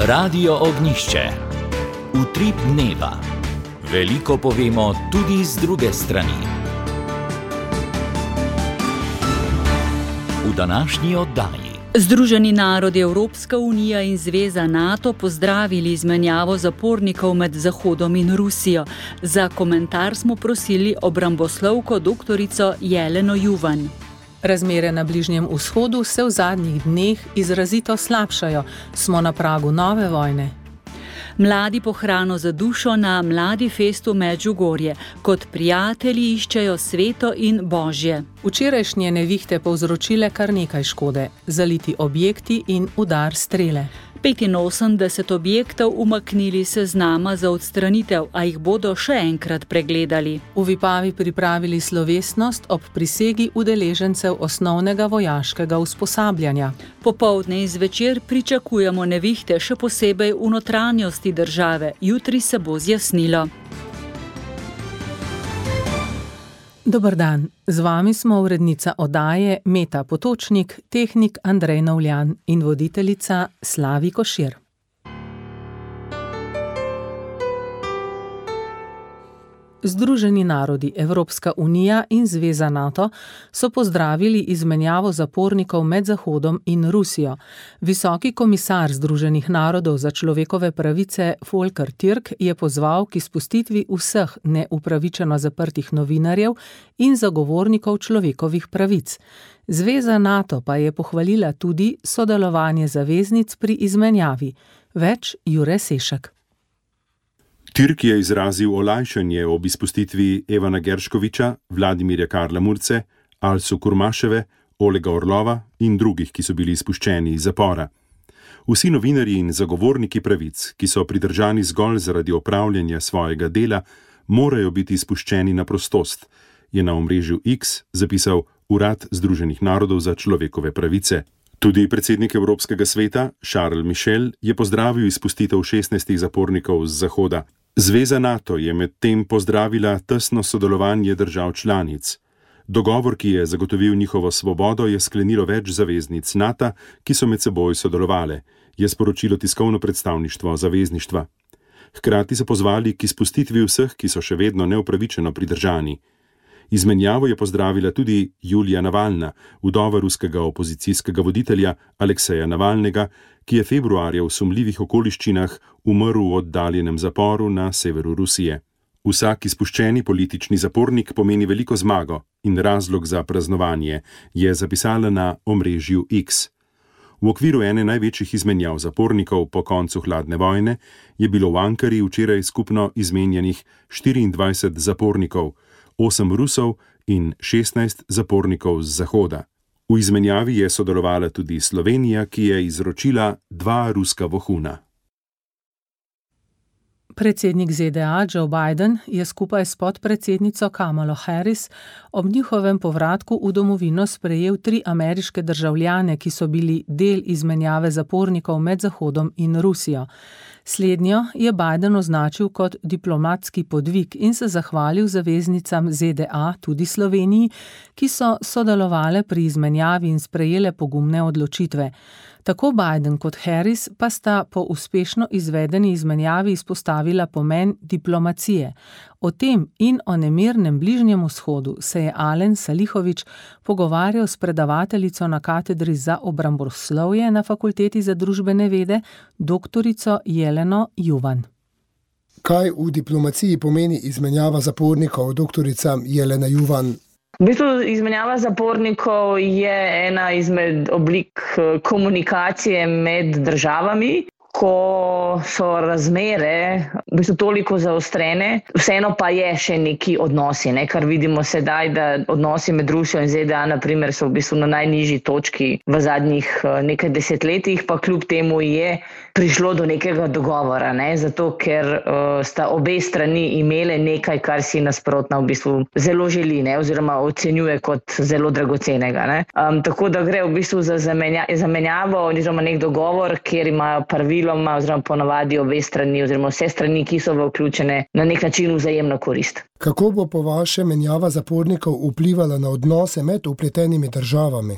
Radio Ognjišče. Utrip dneva. Veliko povemo tudi z druge strani. V današnji oddaji. Združeni narodi, Evropska unija in Zveza NATO pozdravili izmenjavo zapornikov med Zahodom in Rusijo. Za komentar smo prosili obramboslovko doktorico Jeleno Juvan. Razmere na Bližnjem vzhodu se v zadnjih dneh izrazito slabšajo. Smo na pragu nove vojne. Mladi po hrano za dušo na Mladi festu Medžugorje. Kot prijatelji iščejo sveto in božje. Včerajšnje nevihte povzročile kar nekaj škode. Zaliti objekti in udar strele. 85 objektov umaknili seznama za odstranitev, a jih bodo še enkrat pregledali. V Vipavi pripravili slovesnost ob prisegi udeležencev osnovnega vojaškega usposabljanja. Popoldne in zvečer pričakujemo nevihte, še posebej v notranjosti države. Jutri se bo zjasnilo. Dober dan, z vami smo urednica oddaje Meta Potočnik, tehnik Andrej Novljan in voditeljica Slavi Košir. Združeni narodi, Evropska unija in Zveza NATO so pozdravili izmenjavo zapornikov med Zahodom in Rusijo. Visoki komisar Združenih narodov za človekove pravice Volker Türk je pozval k izpustitvi vseh neupravičeno zaprtih novinarjev in zagovornikov človekovih pravic. Zveza NATO pa je pohvalila tudi sodelovanje zaveznic pri izmenjavi. Več Jure Sešek. Türk je izrazil olajšanje ob izpustitvi Evana Gerškoviča, Vladimirja Karla Murce, Alsu Kurmaševe, Olega Orlova in drugih, ki so bili izpuščeni iz zapora. Vsi novinarji in zagovorniki pravic, ki so pridržani zgolj zaradi opravljanja svojega dela, morajo biti izpuščeni na prostost, je na omrežju X zapisal Urad Združenih narodov za človekove pravice. Tudi predsednik Evropskega sveta, Charles Michel, je pozdravil izpustitev 16 zapornikov z Zahoda. Zveza NATO je medtem pozdravila tesno sodelovanje držav članic. Dogovor, ki je zagotovil njihovo svobodo, je sklenilo več zaveznic NATO, ki so med seboj sodelovale, je sporočilo tiskovno predstavništvo zavezništva. Hkrati so pozvali k izpustitvi vseh, ki so še vedno neupravičeno pridržani. Izmenjavo je pozdravila tudi Julija Navalna, vdova ruskega opozicijskega voditelja Alekseja Navalnega, ki je februarja v sumljivih okoliščinah umrl v oddaljenem zaporu na severu Rusije. Vsak izpuščeni politični zapornik pomeni veliko zmago in razlog za praznovanje, je zapisala na omrežju X. V okviru ene največjih izmenjav zapornikov po koncu hladne vojne je bilo v Ankari včeraj skupno izmenjanih 24 zapornikov, 8 Rusov in 16 zapornikov z Zahoda. V izmenjavi je sodelovala tudi Slovenija, ki je izročila 2 ruska vohuna. Predsednik ZDA Joe Biden je skupaj s podpredsednico Kamalo Harris ob njihovem povratku v domovino sprejel 3 ameriške državljane, ki so bili del izmenjave zapornikov med Zahodom in Rusijo. Slednjo je Biden označil kot diplomatski podvig in se zahvalil zaveznicam ZDA, tudi Sloveniji, ki so sodelovale pri izmenjavi in sprejele pogumne odločitve. Tako Biden kot Harris pa sta po uspešno izvedeni izmenjavi izpostavila pomen diplomacije. O tem in o nemirnem Bližnjem vzhodu se je Alen Salihović pogovarjal s predavateljico na katedri za obramboslovje na Fakulteti za družbene vede, doktorico Jeleno Juvan. Kaj v diplomaciji pomeni izmenjava zapornikov, doktorica Jelena Juvan? V bistvu izmenjava zapornikov je ena izmed oblik komunikacije med državami, ko so razmere v bistvu toliko zaostrene, vseeno pa je še neki odnosi, kar vidimo sedaj, da odnosi med Rusijo in ZDA na primer so v bistvu na najnižji točki v zadnjih nekaj desetletjih, pa kljub temu je prišlo do nekega dogovora, zato ker sta obe strani imele nekaj, kar si nasprotna v bistvu zelo želi, oziroma ocenjuje kot zelo dragocenega. Tako da gre v bistvu za zamenjavo oziroma nek dogovor, kjer imajo praviloma oziroma ponavadi obe strani oziroma vse strani, ki so vključene, na nek način vzajemno korist. Kako bo po vašem menjava zapornikov vplivala na odnose med vpletenimi državami?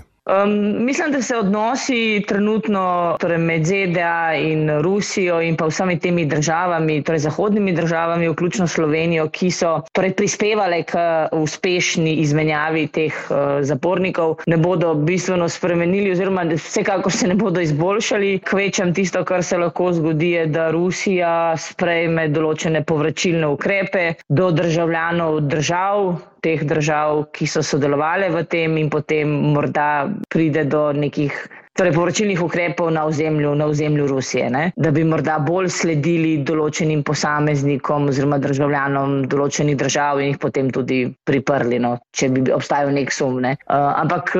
Mislim, da se odnosi trenutno torej med ZDA in Rusijo in pa vsemi temi državami, torej zahodnimi državami, vključno Slovenijo, ki so torej prispevale k uspešni izmenjavi teh zapornikov, ne bodo bistveno spremenili oziroma vsekakor se ne bodo izboljšali. Kvečem tisto, kar se lahko zgodi, je, da Rusija sprejme določene povračilne ukrepe do državljanov držav, teh držav, ki so sodelovali v tem in potem morda pride do nekih povračilnih ukrepov na ozemlju Rusije, ne? Da bi morda bolj sledili določenim posameznikom oziroma državljanom določenih držav in jih potem tudi priprli, no, če bi obstajal nek sum. Ne? Ampak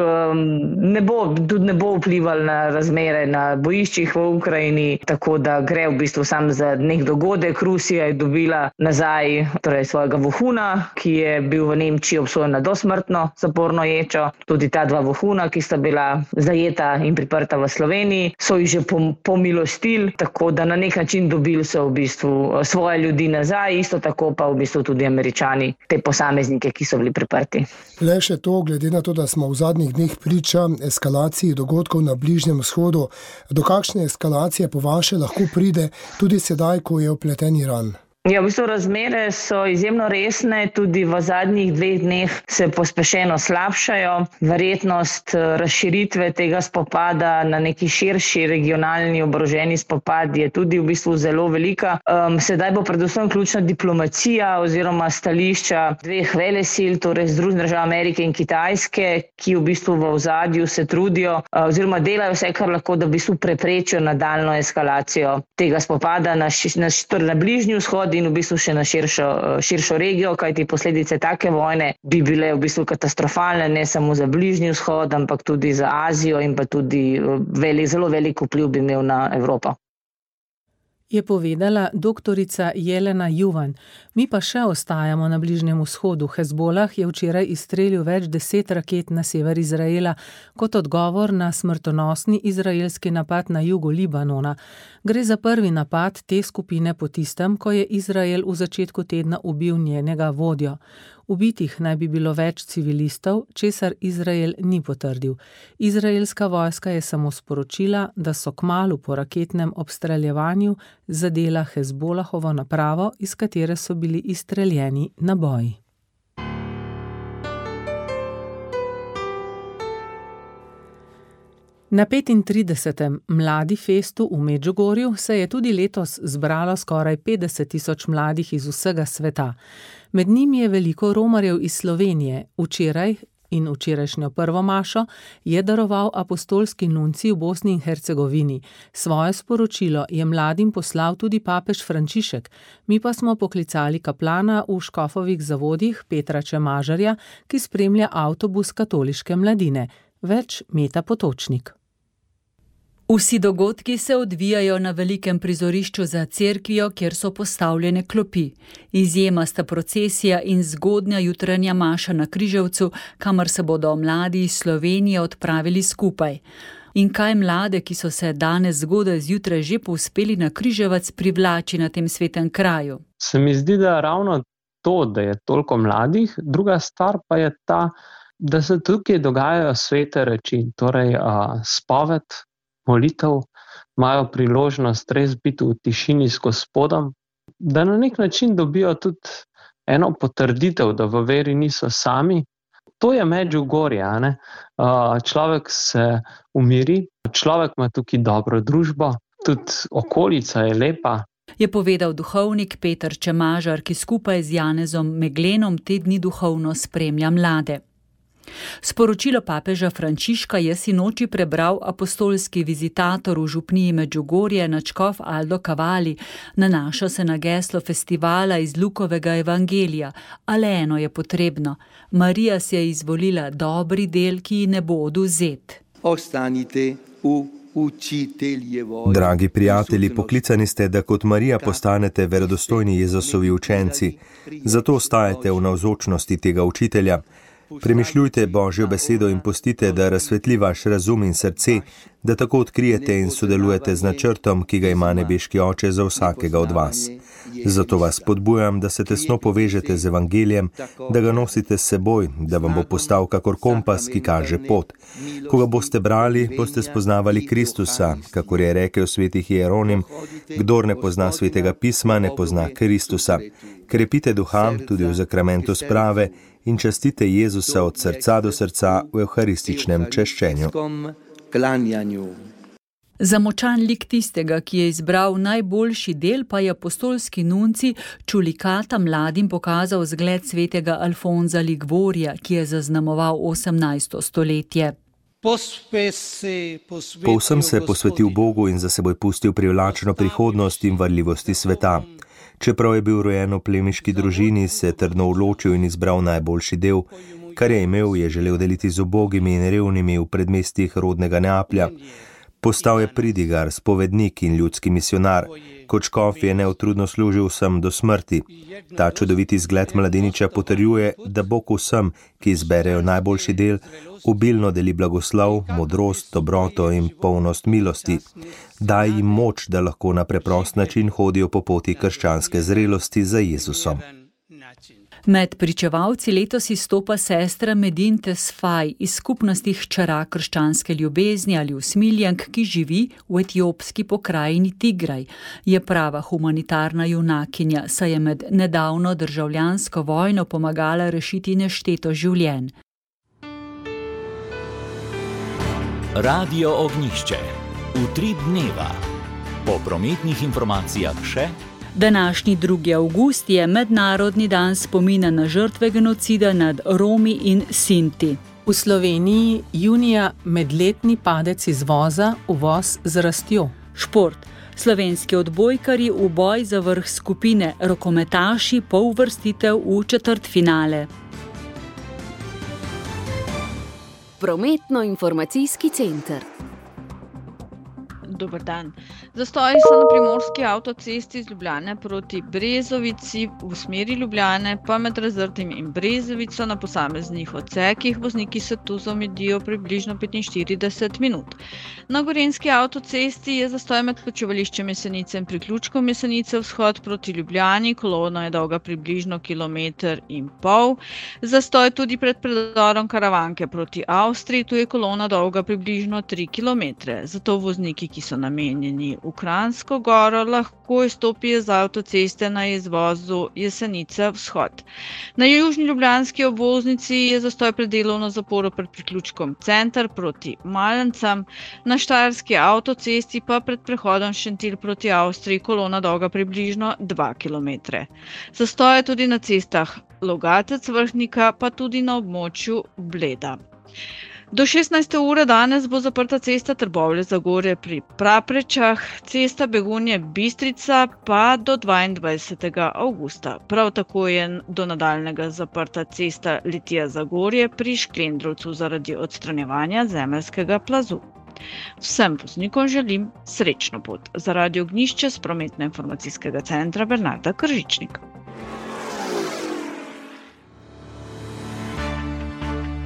ne bo vplival na razmere na bojiščih v Ukrajini, tako da gre v bistvu sam za nek dogodek. Rusija je dobila nazaj svojega vohuna, ki je bil v Nemčiji obsojen na dosmrtno zaporno ječo. Tudi ta dva vohuna, ki sta bila zajeta in priprta v Sloveniji, so jih že pomilostili, tako da na nek način dobili so v bistvu svoje ljudi nazaj, isto tako pa v bistvu tudi Američani, te posameznike, ki so bili priprti. Le še to, glede na to, da smo v zadnjih dneh priča eskalaciji dogodkov na Bližnjem vzhodu, do kakšne eskalacije po vaše lahko pride tudi sedaj, ko je vpleten Iran? Ja, v bistvu razmere so izjemno resne, tudi v zadnjih 2 dneh se pospešeno slabšajo. Verjetnost razširitve tega spopada na neki širši regionalni oboroženi spopad je tudi v bistvu zelo velika. Sedaj bo predvsem ključna diplomacija oziroma stališča 2 velesil, torej Združenih držav Amerike in Kitajske, ki v bistvu v ozadju se trudijo oziroma delajo vse, kar lahko, da v bistvu preprečijo nadaljnjo eskalacijo tega spopada na Bližnji vzhod in v bistvu še na širšo regijo, kajti posledice take vojne bi bile v bistvu katastrofalne, ne samo za Bližnji vzhod, ampak tudi za Azijo in pa tudi zelo velik vpliv bi imel na Evropo. Je povedala doktorica Jelena Juvan. Mi pa še ostajamo na Bližnjem vzhodu. Hezbolah je včeraj izstrelil več 10 raket na sever Izraela kot odgovor na smrtonosni izraelski napad na jugu Libanona. Gre za prvi napad te skupine po tistem, ko je Izrael v začetku tedna ubil njenega vodjo. Ubitih naj bi bilo več civilistov, česar Izrael ni potrdil. Izraelska vojska je samo sporočila, da so kmalu po raketnem obstreljevanju zadela Hezbolahovo napravo, iz katere so bili izstreljeni naboji. Na 35. Mladi festu v Medžugorju se je tudi letos zbralo skoraj 50.000 mladih iz vsega sveta. Med njimi je veliko romarjev iz Slovenije. Včeraj in včerajšnjo prvo mašo je daroval apostolski nuncij v Bosni in Hercegovini. Svoje sporočilo je mladim poslal tudi papež Frančišek. Mi pa smo poklicali kaplana v Škofovih zavodih Petra Čemažarja, ki spremlja avtobus katoliške mladine. Več Meta Potočnik. Vsi dogodki se odvijajo na velikem prizorišču za cerkvijo, kjer so postavljene klopi. Izjema sta procesija in zgodnja jutranja maša na Križevcu, kamor se bodo mladi iz Slovenije odpravili skupaj. In kaj mlade, ki so se danes zgodaj zjutraj že povzpeli na Križevac, privlači na tem svetem kraju? Se mi zdi, da ravno to, da je toliko mladih, druga stvar pa je ta, da se tukaj dogajajo svete reči, torej spoved, molitev, imajo priložnost res biti v tišini s Gospodom, da na nek način dobijo tudi eno potrditev, da v veri niso sami. To je Medžugorje, ne? Človek se umiri, človek ima tukaj dobro družbo, tudi okolica je lepa. Je povedal duhovnik Peter Čemažar, ki skupaj z Janezom Meglenom te dni duhovno spremlja mlade. Sporočilo papeža Frančiška je sinoči prebral apostolski vizitator v župniji Medžugorje nadškof Aldo Cavalli. Nanaša se na geslo festivala iz Lukovega evangelija, a le eno je potrebno. Marija si je izvolila dobri del, ki ji ne bo odvzet. Ostanite v učiteljevo. Dragi prijatelji, poklicani ste, da kot Marija postanete verodostojni Jezusovi učenci. Zato ostajate v navzočnosti tega učitelja. Premišljujte Božjo besedo in pustite, da razsvetli vaš razum in srce, da tako odkrijete in sodelujete z načrtom, ki ga ima nebeški Oče za vsakega od vas. Zato vas spodbujam, da se tesno povežete z evangelijem, da ga nosite s seboj, da vam bo postal kakor kompas, ki kaže pot. Ko ga boste brali, boste spoznavali Kristusa, kakor je rekel sveti Hieronim, kdor ne pozna svetega pisma, ne pozna Kristusa. Krepite duha tudi v zakramentu sprave in častite Jezusa od srca do srca v evharističnem češčenju. Za močan lik tistega, ki je izbral najboljši del, pa je apostolski nunci Čulikata mladim pokazal zgled svetega Alfonza Liguorija, ki je zaznamoval 18. stoletje. Povsem se je posvetil Bogu in za seboj pustil privlačno prihodnost in varljivosti sveta. Čeprav je bil rojen v plemiški družini, se je trdno odločil in izbral najboljši del. Kar je imel, je želel deliti z ubogimi in revnimi v predmestjih rodnega Neaplja. Postal je pridigar, spovednik in ljudski misionar. Kot škof je neutrudno služil vsem do smrti. Ta čudoviti zgled mladeniča potrjuje, da Bog vsem, ki izberejo najboljši del, obilno deli blagoslov, modrost, dobroto in polnost milosti. Daj jim moč, da lahko na preprost način hodijo po poti krščanske zrelosti za Jezusom. Med pričevalci letos izstopa sestra Medin Tesfaj iz skupnosti hčera krščanske ljubezni ali usmiljenk, ki živi v etiopski pokrajini Tigraj. Je prava humanitarna junakinja, saj je med nedavno državljansko vojno pomagala rešiti nešteto življenj. Radio Ognjišče. Utrip dneva. Po prometnih informacijah še. Današnji 2. avgust je mednarodni dan spomina na žrtve genocida nad Romi in Sinti. V Sloveniji junija medletni padec izvoza, uvoz z rastjo. Šport. Slovenski odbojkarji v boj za vrh skupine, rokometaši pouvrstitev v četrtfinale. Prometno-informacijski center. Dober dan. Zastoji so na primorski avtocesti iz Ljubljane proti Brezovici v smeri Ljubljane, pa med Razrtim in Brezovico na posameznih odsekih vozniki se tu zamudijo približno 45 minut. Na gorenjski avtocesti je zastoj med počivališčem Jesenice in priključkom Jesenice vzhod proti Ljubljani, kolona je dolga približno 1,5 km. Zastoj tudi pred predorom Karavanke proti Avstriji, tu je kolona dolga približno 3 km. Zato vozniki, ki so namenjeni v Kranjsko Goro, lahko izstopijo z avtoceste na izvozu Jesenice vzhod. Na južni ljubljanski obvoznici je zastoj pred delovno zaporo pred priključkom Center proti Malencam, na štajerski avtocesti pa pred prehodom Šentilj proti Avstriji kolona dolga približno 2 km. Zastoj je tudi na cestah Logatec-Vrhnika, pa tudi na območju Bleda. Do 16. ure danes bo zaprta cesta Trbovlje-Zagorje pri Praprečah, cesta Begunje-Bistrica pa do 22. avgusta. Prav tako je do nadaljnega zaprta cesta Litija-Zagorje pri Šklendrovcu zaradi odstranjevanja zemeljskega plazu. Vsem voznikom želim srečno pot. Za Radio Ognjišče s prometno-informacijskega centra Bernarda Kržičnik.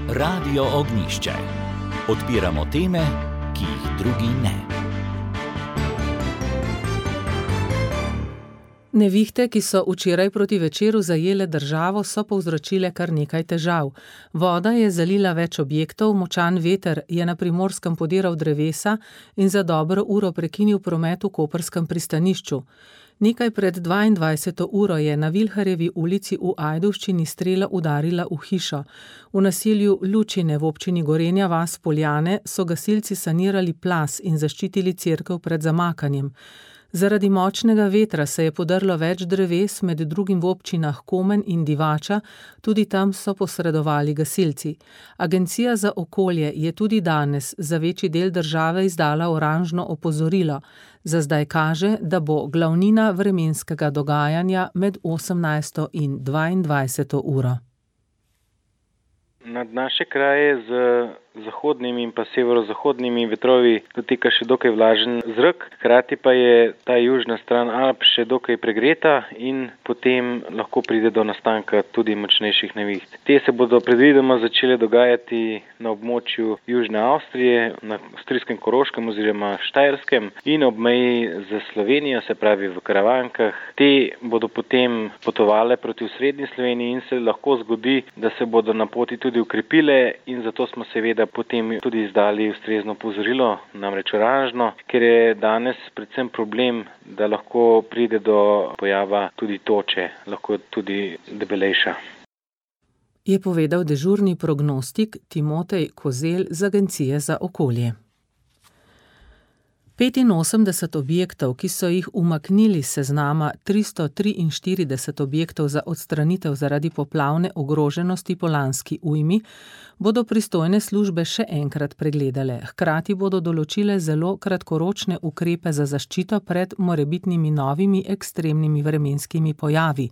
Radio Ognjišče. Odpiramo teme, ki jih drugi ne. Nevihte, ki so včeraj proti večeru zajele državo, so povzročile kar nekaj težav. Voda je zalila več objektov, močan veter je na Primorskem podiral drevesa in za dobro uro prekinil promet v koprskem pristanišču. Nekaj pred 22. uro je na Vilharjevi ulici v Ajdovščini strela udarila v hišo. V naselju Lučine v občini Gorenja vas Poljane so gasilci sanirali plaz in zaščitili cerkev pred zamakanjem. Zaradi močnega vetra se je podrlo več dreves, med drugim v občinah Komen in Divača, tudi tam so posredovali gasilci. Agencija za okolje je tudi danes za večji del države izdala oranžno opozorilo. Za zdaj kaže, da bo glavnina vremenskega dogajanja med 18. in 22. uro. Nad naše kraje z zahodnimi in pa severozahodnimi vetrovi dotika še dokaj vlažen zrak, hkrati pa je ta južna stran Alp še dokaj pregreta in potem lahko pride do nastanka tudi močnejših neviht. Te se bodo predvidoma začele dogajati na območju Južne Avstrije, na avstrijskem Koroškem oziroma Štajerskem in ob meji z Slovenijo, se pravi v Karavankah. Te bodo potem potovale proti osrednji Sloveniji in se lahko zgodi, da se bodo na poti tudi ukrepile in zato smo seveda potem tudi izdali ustrezno opozorilo, namreč oranžno, ker je danes predvsem problem, da lahko pride do pojava tudi toče, lahko tudi debelejša. Je povedal dežurni prognostik Timotej Kozelj z Agencije za okolje. 85 objektov, ki so jih umaknili s seznama 343 objektov za odstranitev zaradi poplavne ogroženosti po lanski ujmi, bodo pristojne službe še enkrat pregledale. Hkrati bodo določile zelo kratkoročne ukrepe za zaščito pred morebitnimi novimi ekstremnimi vremenskimi pojavi.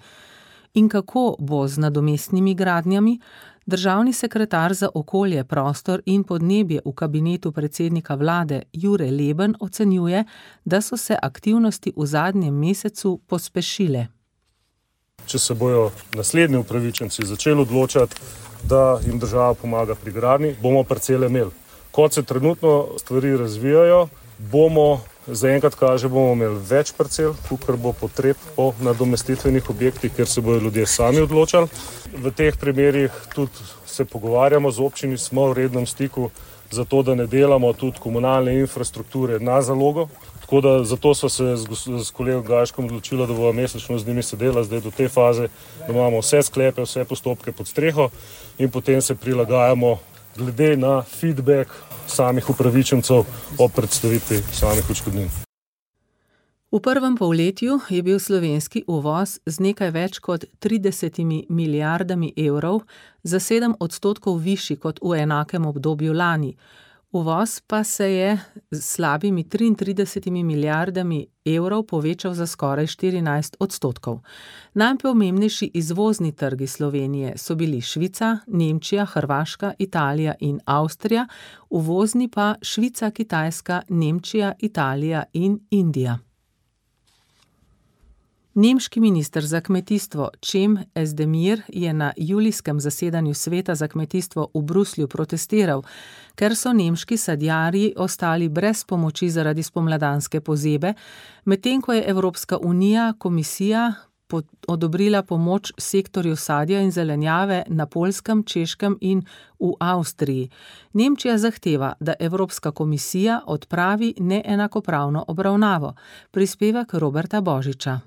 In kako bo z nadomestnimi gradnjami? Državni sekretar za okolje, prostor in podnebje v kabinetu predsednika vlade Jure Leben ocenjuje, da so se aktivnosti v zadnjem mesecu pospešile. Če se bojo naslednji upravičenci začeli odločati, da jim država pomaga pri gradnji, bomo parcele imeli. Kot se trenutno stvari razvijajo, zaenkrat kaže, bomo imeli več parcel, kakor bo potreb po nadomestitvenih objektih, ker se bojo ljudje sami odločali. V teh primerih tudi se pogovarjamo z občini, smo v rednem stiku, zato da ne delamo tudi komunalne infrastrukture na zalogo. Tako da zato so se s kolegom Gajškom odločili, da bomo mesečno z njimi sedela zdaj do te faze, da imamo vse sklepe, vse postopke pod streho in potem se prilagajamo glede na feedback samih upravičencev o predstavitvi samih odškodnin. V prvem polletju je bil slovenski uvoz z nekaj več kot 30 milijardami evrov za 7% višji kot v enakem obdobju lani. Uvoz pa se je z slabimi 33 milijardami evrov povečal za skoraj 14%. Najpomembnejši izvozni trgi Slovenije so bili Švica, Nemčija, Hrvaška, Italija in Avstrija, uvozni pa Švica, Kitajska, Nemčija, Italija in Indija. Nemški minister za kmetijstvo Cem Özdemir je na julijskem zasedanju Sveta za kmetijstvo v Bruslju protestiral, ker so nemški sadjarji ostali brez pomoči zaradi spomladanske pozebe, medtem ko je Evropska unija, komisija odobrila pomoč sektorju sadja in zelenjave na Poljskem, Češkem in v Avstriji. Nemčija zahteva, da Evropska komisija odpravi neenakopravno obravnavo. Prispevek Roberta Božiča.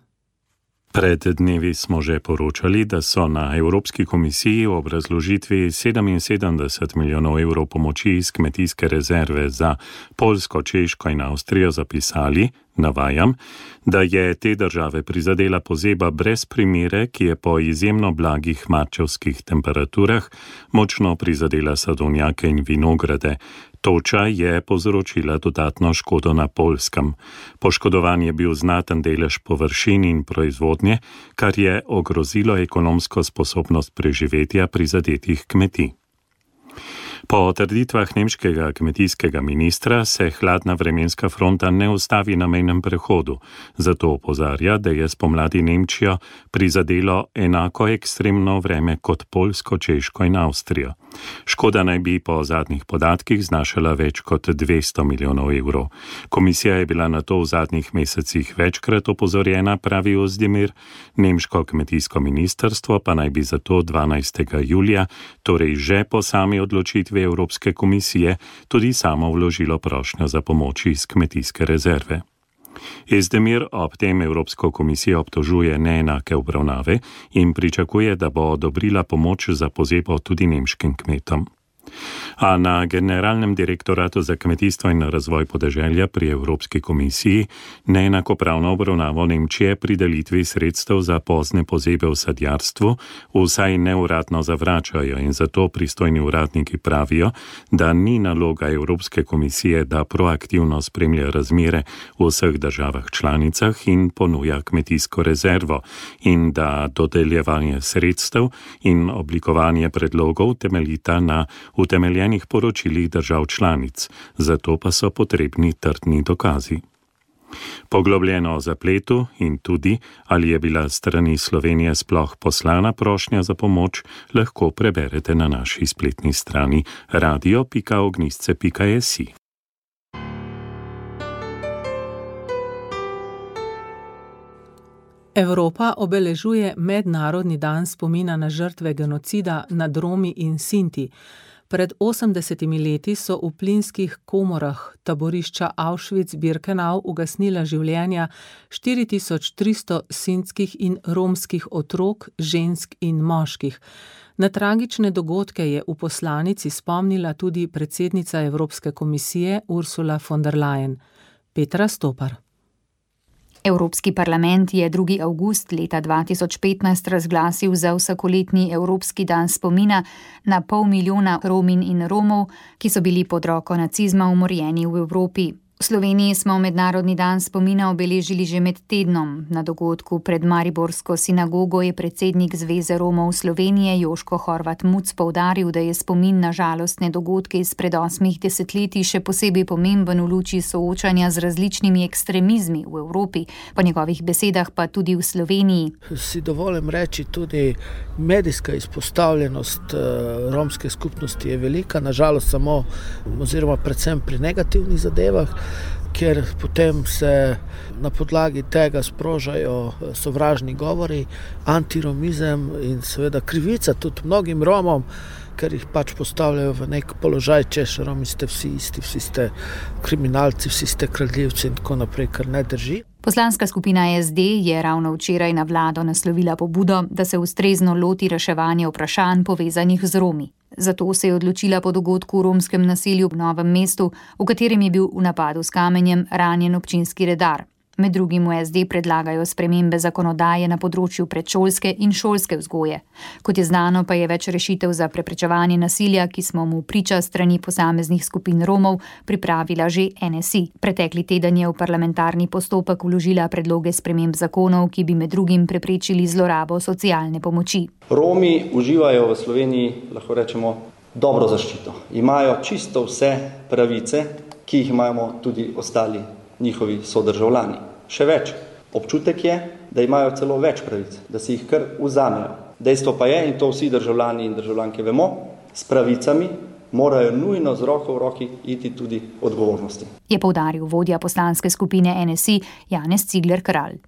Pred dnevi smo že poročali, da so na Evropski komisiji ob razložitvi 77 milijonov evrov pomoči iz kmetijske rezerve za Poljsko, Češko in Avstrijo zapisali, navajam, da je te države prizadela pozeba brez primere, ki je po izjemno blagih marčevskih temperaturah močno prizadela sadovnjake in vinograde. Toča je povzročila dodatno škodo na Poljskem. Poškodovan je bil znaten delež površin in proizvodnje, kar je ogrozilo ekonomsko sposobnost preživetja prizadetih kmetij. Po trditvah nemškega kmetijskega ministra se hladna vremenska fronta ne ustavi na mejnem prehodu, zato opozarja, da je spomladi Nemčijo prizadelo enako ekstremno vreme kot Poljsko, Češko in Avstrijo. Škoda naj bi po zadnjih podatkih znašala več kot 200 milijonov evrov. Komisija je bila na to v zadnjih mesecih večkrat opozorjena, pravi Özdemir, nemško kmetijsko ministrstvo pa naj bi zato 12. julija, torej že po sami odločitvi Evropske komisije, tudi samo vložilo prošnjo za pomoč iz kmetijske rezerve. Özdemir ob tem Evropsko komisijo obtožuje neenake obravnave in pričakuje, da bo odobrila pomoč za pozebo tudi nemškim kmetom. A na Generalnem direktoratu za kmetijstvo in razvoj podeželja pri Evropski komisiji neenakopravno obravnavo Nemčije pri delitvi sredstev za pozne pozebe v sadjarstvu vsaj neuradno zavračajo in zato pristojni uradniki pravijo, da ni naloga Evropske komisije, da proaktivno spremlja razmere v vseh državah članicah in ponuja kmetijsko rezervo in da dodeljevanje sredstev in oblikovanje predlogov temeljita na utemeljenih poročilih držav članic, zato pa so potrebni trdni dokazi. Poglobljeno o zapletu in tudi, ali je bila s strani Slovenije sploh poslana prošnja za pomoč, lahko preberete na naši spletni strani radio.ognisce.si. Evropa obeležuje Mednarodni dan spomina na žrtve genocida nad Romi in Sinti. Pred 80 leti so v plinskih komorah taborišča Auschwitz-Birkenau ugasnila življenja 4300 sintskih in romskih otrok, žensk in moških. Na tragične dogodke je v poslanici spomnila tudi predsednica Evropske komisije Ursula von der Leyen. Petra Stopar. Evropski parlament je 2. avgust leta 2015 razglasil za vsakoletni Evropski dan spomina na 500 000 Rominj in Romov, ki so bili pod roko nacizma umorjeni v Evropi. V Sloveniji smo Mednarodni dan spomina obeležili že med tednom. Na dogodku pred Mariborsko sinagogo je predsednik Zveze Romov Slovenije Joško Horvat Muc poudaril, da je spomin na žalostne dogodke izpred 8 desetletij še posebej pomemben v luči soočanja z različnimi ekstremizmi v Evropi, po njegovih besedah pa tudi v Sloveniji. Si dovolim reči, tudi medijska izpostavljenost romske skupnosti je velika, nažalost samo oziroma predvsem pri negativnih zadevah, ker potem se na podlagi tega sprožajo sovražni govori, antiromizem in seveda krivica tudi mnogim Romom, ker jih pač postavljajo v nek položaj, češ Romi ste vsi isti, vsi ste kriminalci, vsi ste kradljivci in tako naprej, kar ne drži. Poslanska skupina SD je ravno včeraj na vlado naslovila pobudo, da se ustrezno loti reševanja vprašanj povezanih z Romi. Zato se je odločila po dogodku v romskem naselju v Novem mestu, v katerem je bil v napadu s kamenjem ranjen občinski redar. Med drugim v SD predlagajo spremembe zakonodaje na področju predšolske in šolske vzgoje. Kot je znano, pa je več rešitev za preprečevanje nasilja, ki smo mu priča strani posameznih skupin Romov, pripravila že NSI. Pretekli teden je v parlamentarni postopek vložila predloge sprememb zakonov, ki bi med drugim preprečili zlorabo socialne pomoči. Romi uživajo v Sloveniji, lahko rečemo, dobro zaščito. Imajo čisto vse pravice, ki jih imamo tudi ostali njihovi sodržavljani. Še več, občutek je, da imajo celo več pravic, da si jih kar vzamejo. Dejstvo pa je, in to vsi državljani in državljanke vemo, s pravicami morajo nujno z roko v roki iti tudi odgovornosti. Je poudaril vodja poslanske skupine NSI Janez Cigler Kralj.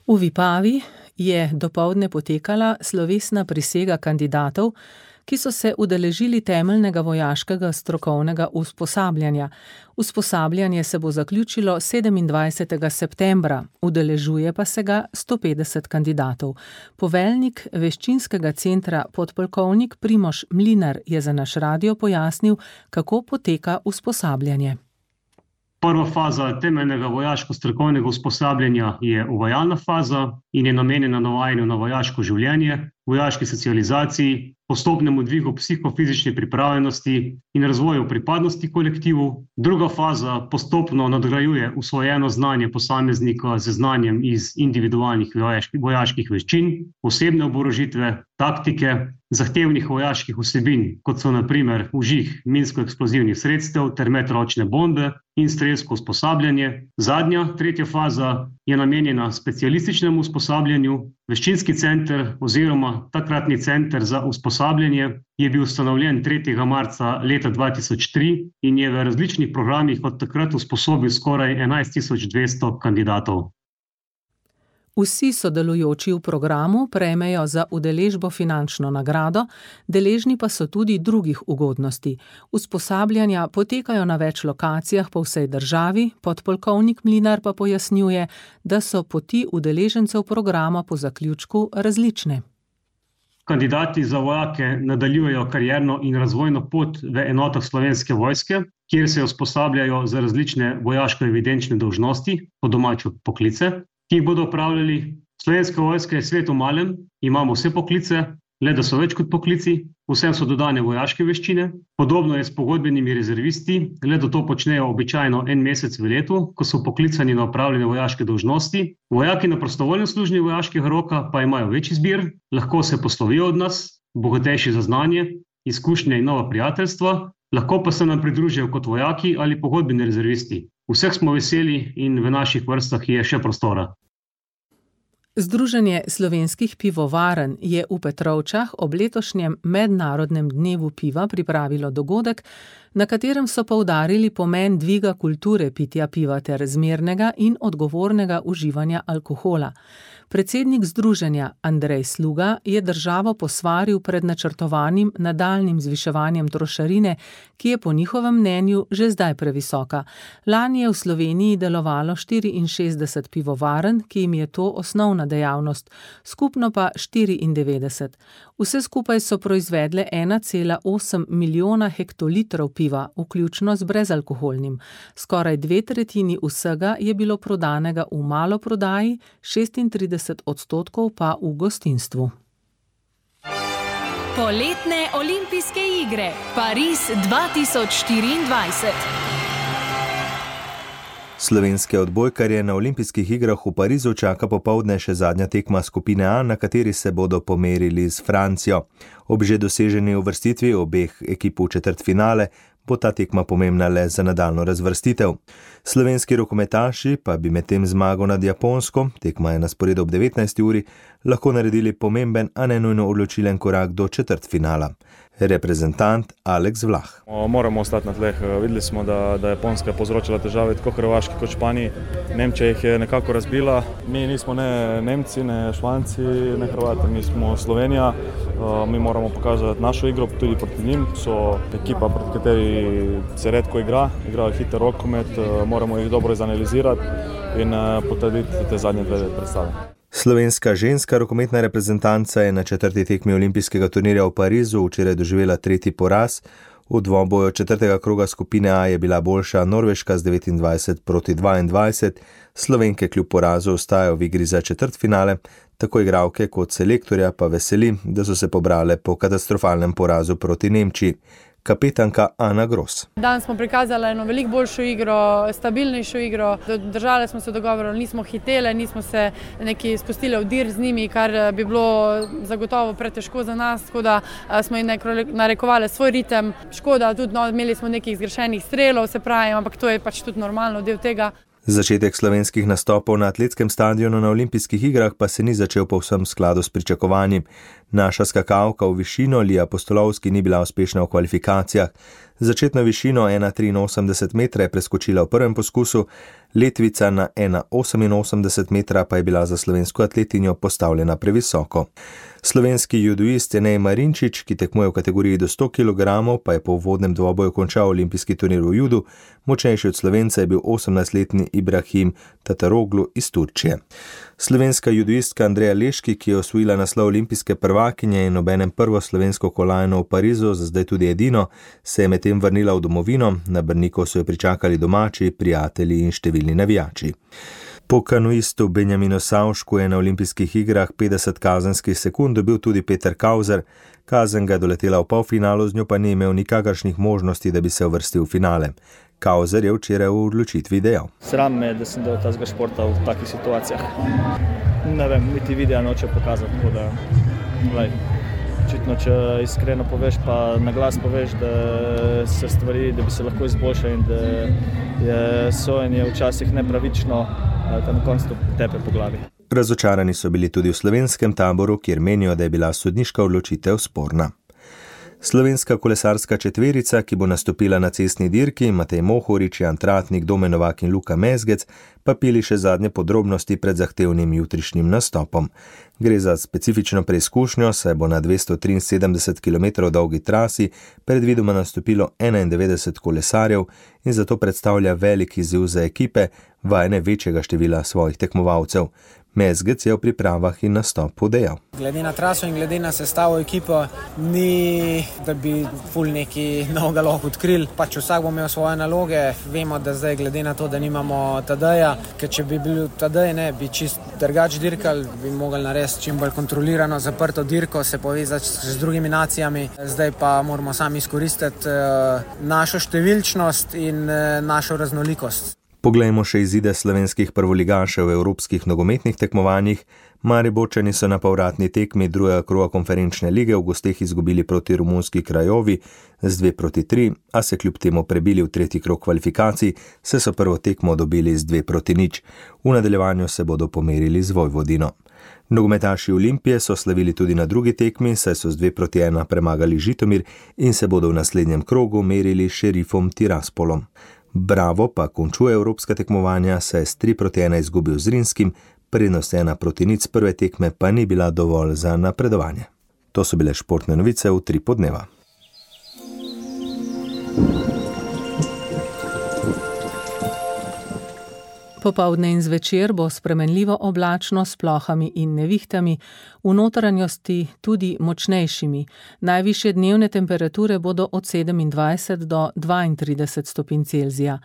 V Vipavi je dopoldne potekala slovesna prisega kandidatov, ki so se udeležili temeljnega vojaškega strokovnega usposabljanja. Usposabljanje se bo zaključilo 27. septembra, udeležuje pa se ga 150 kandidatov. Poveljnik veščinskega centra podpolkovnik Primož Mlinar je za naš radio pojasnil, kako poteka usposabljanje. Prva faza temeljnega vojaško-strokovnega usposabljanja je uvajalna faza in je namenjena navajanju na vojaško življenje, vojaški socializaciji, postopnemu dvigu psihofizične pripravljenosti in razvoju pripadnosti kolektivu. Druga faza postopno nadgrajuje usvojeno znanje posameznika z znanjem iz individualnih vojaških veščin, osebne oborožitve, taktike, zahtevnih vojaških vsebin, kot so na primer vžig minsko-eksplozivnih sredstev ter medročne bombe in strelsko usposabljanje. Zadnja, tretja faza je namenjena specialističnemu usposabljanju. Veščinski center oziroma takratni center za usposabljanje je bil ustanovljen 3. marca leta 2003 in je v različnih programih od takrat usposobil skoraj 11.200 kandidatov. Vsi sodelujoči v programu prejmejo za udeležbo finančno nagrado, deležni pa so tudi drugih ugodnosti. Usposabljanja potekajo na več lokacijah po vsej državi, podpolkovnik Mlinar pa pojasnjuje, da so poti udeležencev programa po zaključku različne. Kandidati za vojake nadaljujejo karierno in razvojno pot v enotah Slovenske vojske, kjer se usposabljajo za različne vojaško-evidenčne dolžnosti, po domače poklice, ki jih bodo opravljali. Slovenska vojska je svet v malem, imamo vse poklice, le da so več kot poklici, vsem so dodane vojaške veščine. Podobno je s pogodbenimi rezervisti, le da to počnejo običajno en mesec v letu, ko so poklicani na opravljene vojaške dolžnosti. Vojaki na prostovoljnem služenju vojaškega roka pa imajo več izbir, lahko se poslovijo od nas, bogatejši za znanje, izkušnje in nova prijateljstva, lahko pa se nam pridružijo kot vojaki ali pogodbeni rezervisti. Vseh smo veseli in v naših vrstah je še prostora. Združenje slovenskih pivovarn je v Petrovčah ob letošnjem mednarodnem dnevu piva pripravilo dogodek, na katerem so poudarili pomen dviga kulture pitja piva ter zmernega in odgovornega uživanja alkohola. Predsednik združenja Andrej Sluga je državo posvaril pred načrtovanim nadaljnjim zviševanjem trošarine, ki je po njihovem mnenju že zdaj previsoka. Lani je v Sloveniji delovalo 64 pivovarn, ki jim je to osnovna dejavnost, skupno pa 94. Vse skupaj so proizvedle 1,8 milijona hektolitrov piva, vključno z brezalkoholnim. Skoraj 2/3 vsega je bilo prodanega v maloprodaji, 36% pa v gostinstvu. Poletne olimpijske igre Pariz 2024. Slovenske odbojkarje na olimpijskih igrah v Parizu čaka popoldne še zadnja tekma skupine A, na kateri se bodo pomerili s Francijo. Ob že doseženi uvrstitvi obeh ekip v četrtfinale bo ta tekma pomembna le za nadaljnjo razvrstitev. Slovenski rokometaši pa bi med tem zmago nad Japonsko, tekma je na sporedu ob 19. uri, lahko naredili pomemben, a ne nujno odločilen korak do četrtfinala. Reprezentant Aleks Vlah. Moramo ostati na tleh. Videli smo, da Japonska je povzročila težave tako Hrvaški kot Španiji. Nemčija jih je nekako razbila. Mi nismo ne Nemci, ne Španci, ne Hrvati, mi smo Slovenija. Mi moramo pokazati našo igro tudi proti njim. So ekipa, proti kateri se redko igrajo hiter rokomet, moramo jih dobro izanalizirati in potrditi te zadnje dve predstave. Slovenska ženska rokometna reprezentanca je na četrti tekmi olimpijskega turnirja v Parizu včeraj doživela tretji poraz. V dvoboju četrtega kroga skupine A je bila boljša Norveška z 29-22. Slovenke kljub porazu ostajajo v igri za četrtfinale, tako igralke kot selektorja pa veseli, da so se pobrale po katastrofalnem porazu proti Nemčiji. Kapetanka Ana Gros. Danes smo prikazali eno veliko boljšo igro, stabilnejšo igro. Držali smo se dogovorov, nismo hitele, nismo se neki spustili v dir z njimi, kar bi bilo zagotovo pretežko za nas, tako da smo jim narekovali svoj ritem. Škoda, tudi imeli smo nekih zgrešenih strelov, se pravi, ampak to je pač tudi normalno del tega. Začetek slovenskih nastopov na atletskem stadionu na olimpijskih igrah pa se ni začel povsem v skladu s pričakovanji. Naša skakalka v višino Lija Postolovski ni bila uspešna v kvalifikacijah. Začetno višino 1,83 metra je preskočila v prvem poskusu, letvica na 1,88 metra pa je bila za slovensko atletinjo postavljena previsoko. Slovenski judoist Enej Marinčič, ki tekmuje v kategoriji do 100 kg, pa je po uvodnem dvoboju končal olimpijski turnir v judu. Močnejši od Slovenca je bil 18-letni Ibrahim Tataroglu iz Turčije. Slovenska judoistka Andreja Leški, ki je osvojila naslov olimpijske prvakinje in obenem prvo slovensko kolajno v Parizu, za zdaj tudi edino, se je medtem vrnila v domovino. Na Brniku so jo pričakali domači, prijatelji in številni navijači. Po kanuistu Benjaminu Savšku je na olimpijskih igrah 50 kazenskih sekund dobil tudi Peter Kauzer. Kazen ga je doletela v polfinalu, z njo pa ni imel nikakršnih možnosti, da bi se uvrstil v finale. Kauzer je včeraj v odločitvi dejal. Sram me, da sem del tazga športa v takih situacijah. Ne vem, niti videa noče pokazati, tako da, očitno, če iskreno poveš, pa na glas poveš, da se stvari, da bi se lahko izboljšali in da je sojenje včasih nepravično, da na koncu tepe po glavi. Razočarani so bili tudi v slovenskem taboru, kjer menijo, da je bila sodniška odločitev sporna. Slovenska kolesarska četverica, ki bo nastopila na cestni dirki, Matej Mohorič, Jan Tratnik, Domen Novak in Luka Mezgec, pa pili še zadnje podrobnosti pred zahtevnim jutrišnjim nastopom. Gre za specifično preizkušnjo, saj bo na 273 km dolgi trasi predvidoma nastopilo 91 kolesarjev in zato predstavlja velik izziv za ekipe, vajene večjega števila svojih tekmovalcev. Mezgec je v pripravah in nastopu dejal. Glede na traso in glede na sestavo ekipo ni, da bi ful neki novega lahko odkrili. Pač vsak bo imel svoje naloge. Vemo, da zdaj glede na to, da nimamo Tadeja, ker če bi bil Tadej, bi čist drugače dirkali, bi mogli narediti čim bolj kontrolirano, zaprto dirko, se povezati z drugimi nacijami. Zdaj pa moramo sami izkoristiti našo številčnost in našo raznolikost. Poglejmo še izide slovenskih prvoligašev v evropskih nogometnih tekmovanjih. Mariborčani so na povratni tekmi drugega kroga konferenčne lige v gosteh izgubili proti romunski Krajovi z 2-3, a se kljub temu prebili v tretji krog kvalifikacij, saj so prvo tekmo dobili z 2-0. V nadaljevanju se bodo pomerili z Vojvodino. Nogometaši Olimpije so slavili tudi na drugi tekmi, saj so z 2-1 premagali Žitomir in se bodo v naslednjem krogu merili s Šerifom Tiraspolom. Bravo pa končuje evropska tekmovanja, saj je s 3-1 izgubil z Rinskim, prednost 1-0 prve tekme pa ni bila dovolj za napredovanje. To so bile športne novice v 3 podneva. Popoldne in zvečer bo spremenljivo oblačno s plohami in nevihtami, v notranjosti tudi močnejšimi. Najvišje dnevne temperature bodo od 27 do 32 stopinj Celzija.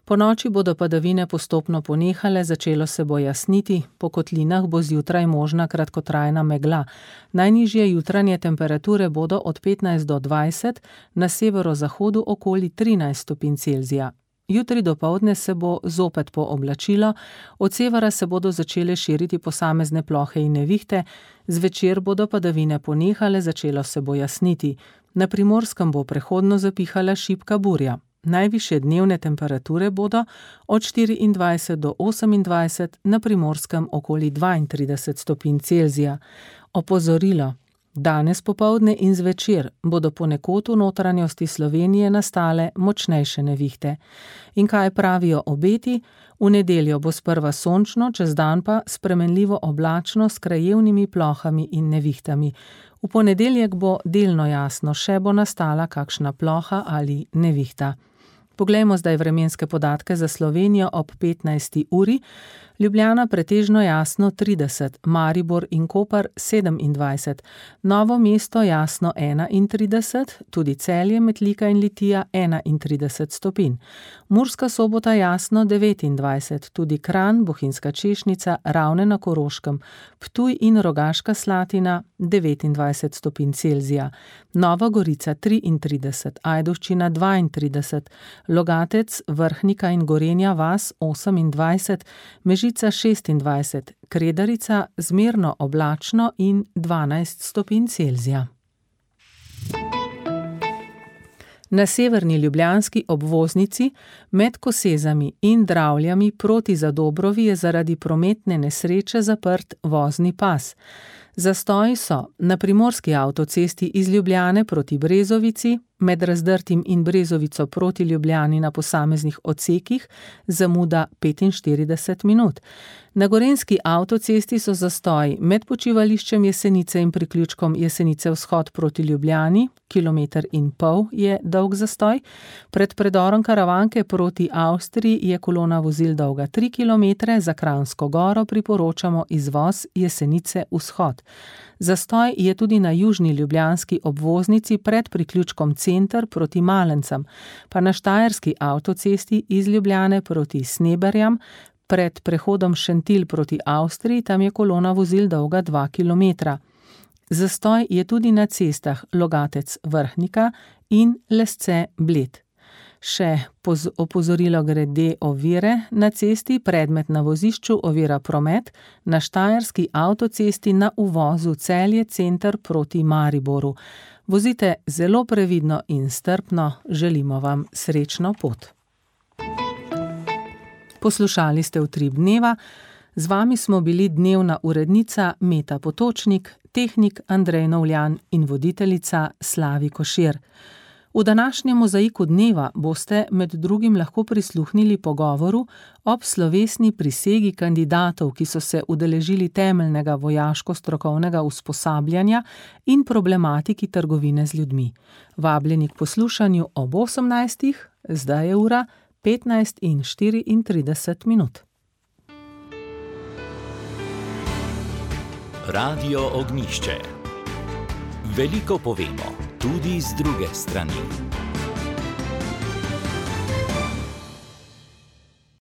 Po noči bodo padavine postopno ponehale, začelo se bo jasniti, po kotlinah bo zjutraj možna kratkotrajna megla. Najnižje jutranje temperature bodo od 15 do 20, na severozahodu okoli 13 stopinj Celzija. Jutri dopoldne se bo zopet pooblačilo, od severa se bodo začele širiti posamezne plohe in nevihte, zvečer bodo padavine ponehale, začelo se bo jasniti. Na Primorskem bo prehodno zapihala šibka burja. Najvišje dnevne temperature bodo od 24 do 28, na Primorskem okoli 32 stopinj Celzija. Opozorilo. Danes popoldne in zvečer bodo ponekod v notranjosti Slovenije nastale močnejše nevihte. In kaj pravijo obeti? V nedeljo bo sprva sončno, čez dan pa spremenljivo oblačno s krajevnimi plohami in nevihtami. V ponedeljek bo delno jasno, še bo nastala kakšna ploha ali nevihta. Poglejmo zdaj vremenske podatke za Slovenijo ob 15. uri. Ljubljana pretežno jasno 30, Maribor in Koper 27, Novo mesto jasno 31, tudi Celje, Metlika in Litija 31 stopinj. Murska Sobota jasno 29, tudi Kranj, Bohinjska Češnica, Ravne na Koroškem, Ptuj in Rogaška Slatina 29 stopinj Celzija, Nova Gorica 33, Ajdovščina 32, Logatec, Vrhnika in Gorenja vas 28, Mežica 26, Kredarica zmerno oblačno in 12 stopinj Celzija. Na severni ljubljanski obvoznici med Kosezami in Dravljami proti Zadobrovi je zaradi prometne nesreče zaprt vozni pas. Zastoji so na primorski avtocesti iz Ljubljane proti Brezovici, med Razdrtim in Brezovico proti Ljubljani na posameznih odsekih, zamuda 45 minut. Na gorenjski avtocesti so zastoji med počivališčem Jesenice in priključkom Jesenice vzhod proti Ljubljani, 1,5 km je dolg zastoj. Pred predorom Karavanke proti Avstriji je kolona vozil dolga 3 km, za Kranjsko Goro priporočamo izvoz Jesenice vzhod. Zastoj je tudi na južni ljubljanski obvoznici pred priključkom Center proti Malencem, pa na štajerski avtocesti iz Ljubljane proti Sneberjam, pred prehodom Šentilj proti Avstriji, tam je kolona vozil dolga 2 km. Zastoj je tudi na cestah Logatec Vrhnika in Lesce Bled. Še opozorilo glede ovire na cesti, predmet na vozišču ovira promet, na štajerski avtocesti na uvozu Celje Center proti Mariboru. Vozite zelo previdno in strpno, želimo vam srečno pot. Poslušali ste Utrip dneva, z vami smo bili dnevna urednica Meta Potočnik, tehnik Andrej Novljan in voditeljica Slavi Košir. V današnjem mozaiku dneva boste med drugim lahko prisluhnili pogovoru ob slovesni prisegi kandidatov, ki so se udeležili temeljnega vojaško-strokovnega usposabljanja in problematiki trgovine z ljudmi. Vabljeni k poslušanju ob 18. Zdaj je ura 15:34. Radio Ognjišče. Veliko povemo, tudi z druge strani.